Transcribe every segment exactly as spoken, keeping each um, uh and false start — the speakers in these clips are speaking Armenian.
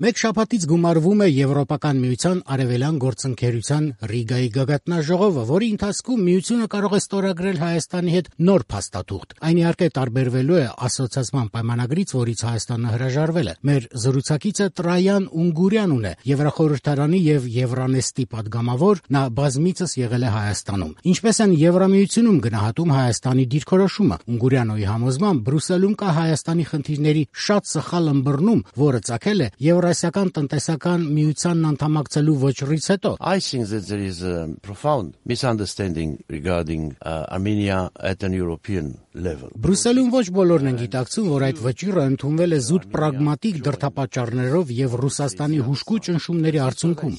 Մեկ շաբաթից գումարվում է Եվրոպական միության արևելյան գործընկերության Ռիգայի գագաթնաժողովը, որի ընթացքում միությունը կարող է ստորագրել Հայաստանի հետ նոր փաստաթուղթ։ Այն իհարկե տարբերվելու է ասոցիացման պայմանագրից, որից Հայաստանը հրաժարվել է։ Մեր զրուցակիցը Տրայան Ունգուրյանուն է, Եվրախորհրդարանի եւ Եվրանեստի падգամավոր, նա բազմիցս եղել է Հայաստանում։ Ինչպես են Եվրամիությունում գնահատում Հայաստանի դիրքորոշումը։ Ունգուրյանոյի համոզմամբ Բրյուսելում կա Հայաստանի խնդիրների շատ սխալ ըմբռնում, որը ծագել է Եվրասիական տնտեսական միությանն անդամակցելու վճռից հետո։ I think that there is a profound misunderstanding regarding uh, Armenia at an European level. Բրյուսելում ոչ բոլորն են գիտակցում, որ այդ վճիռը ընդունվել է զուտ պրագմատիկ դրդապատճառներով եւ Ռուսաստանի հուժկու ճնշումների արդյունքում։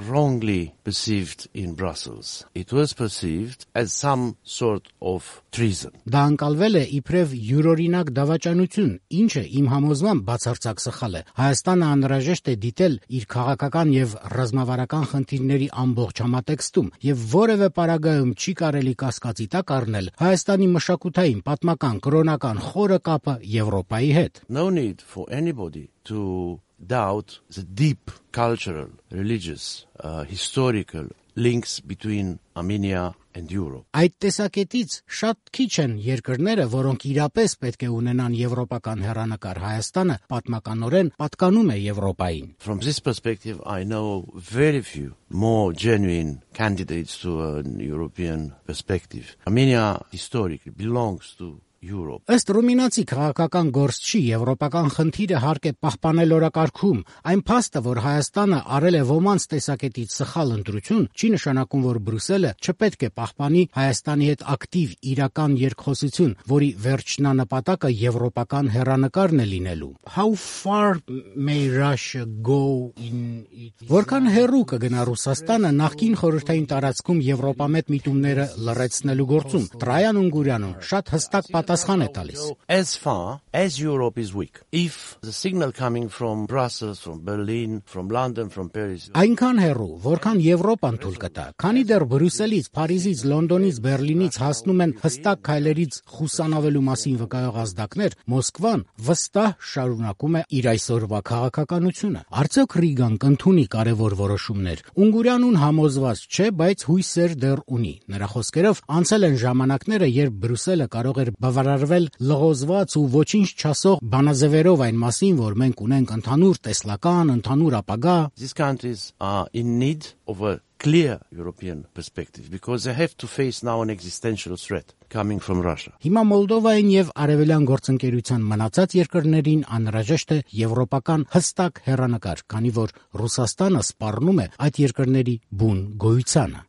Wrongly perceived in Brussels. It was perceived as some sort of treason. Դա անցալվել է իբրև յուրօրինակ դավաճանություն, ինչը իմ համոզմամբ բացարձակ սխալ է։ Հայաստանը անհրաժեշտ է դիտել իր քաղաքական եւ ռազմավարական խնդիրների ամբողջ համատեքստում եւ որևէ պարագայում չի կարելի կասկածի տակ առնել Հայաստանի մշակութային, պատմական, կրոնական խորը կապը Եվրոպայի հետ։ No need for anybody to doubt the deep cultural, religious, uh, historical links between Armenia and Europe. Այդ տեսակետից շատ քիչ են երկրները, որոնք իրապես պետք է ունենան եվրոպական հեռանկար։ Հայաստանը պատմականորեն պատկանում է Եվրոպային։ From this perspective, I know very few more genuine candidates to a European perspective. Armenia historically belongs to Europe. Ըստ ռումինացի քաղաքական գործչի եվրոպական խնդիրը հարկ է պահպանել օրակարգում։ Այն փաստը, որ Հայաստանը արել է ոմանց տեսակետից սխալ ընտրություն, չի նշանակում, որ Բրյուսելը չպետք է պահպանի Հայաստանի հետ ակտիվ իրական երկխոսություն, որի վերջնանպատակը եվրոպական հեռանկարն է լինելու։ How far may Russia go in it? Որքան հեռու կգնա Ռուսաստանը նախկին խորհրդային տարածքում եվրոպամետ միտումները լրացնելու գործում։ Տրայան Ունգուրյանուն շատ հստակ պատասխան է տալիս։ As far as Europe is weak, if the signal coming from Brussels, from Berlin, from London, from Paris, այնքան հեռու, որքան Եվրոպան թույլ կտա, քանի դեռ Բրյուսելից, Փարիզից, Լոնդոնից, Բերլինից հասնում են հստակ քայլերից խուսանավելու մասին վկայող ազդակներ, Մոսկվան վստահ շարունակում է իր այսօրվա քաղաքականությունը։ Արդյոք Ռիգան կընդունի կարևոր որոշումներ։ Ունգուրյանուն համոզված չէ, բայց հույսեր դեռ ունի։ Նրա խոսքերով անցել են ժամանակները, երբ Բրյուսելը կարող էր բավարարվել լղոզված ու ոչինչ չասող բանաձևերով այն մասին, որ մենք ունենք ընդհանուր տեսլական, ընդհանուր ապագա։ These countries are in need of a clear European perspective because they have to face now an existential threat coming from Russia. Հիմա Մոլդովային եւ Արևելյան գործընկերության մնացած երկրներին անհրաժեշտ է եվրոպական հստակ հեռանկար, քանի որ Ռուսաստանը սպառնում է այդ երկրների բուն գոյությանը։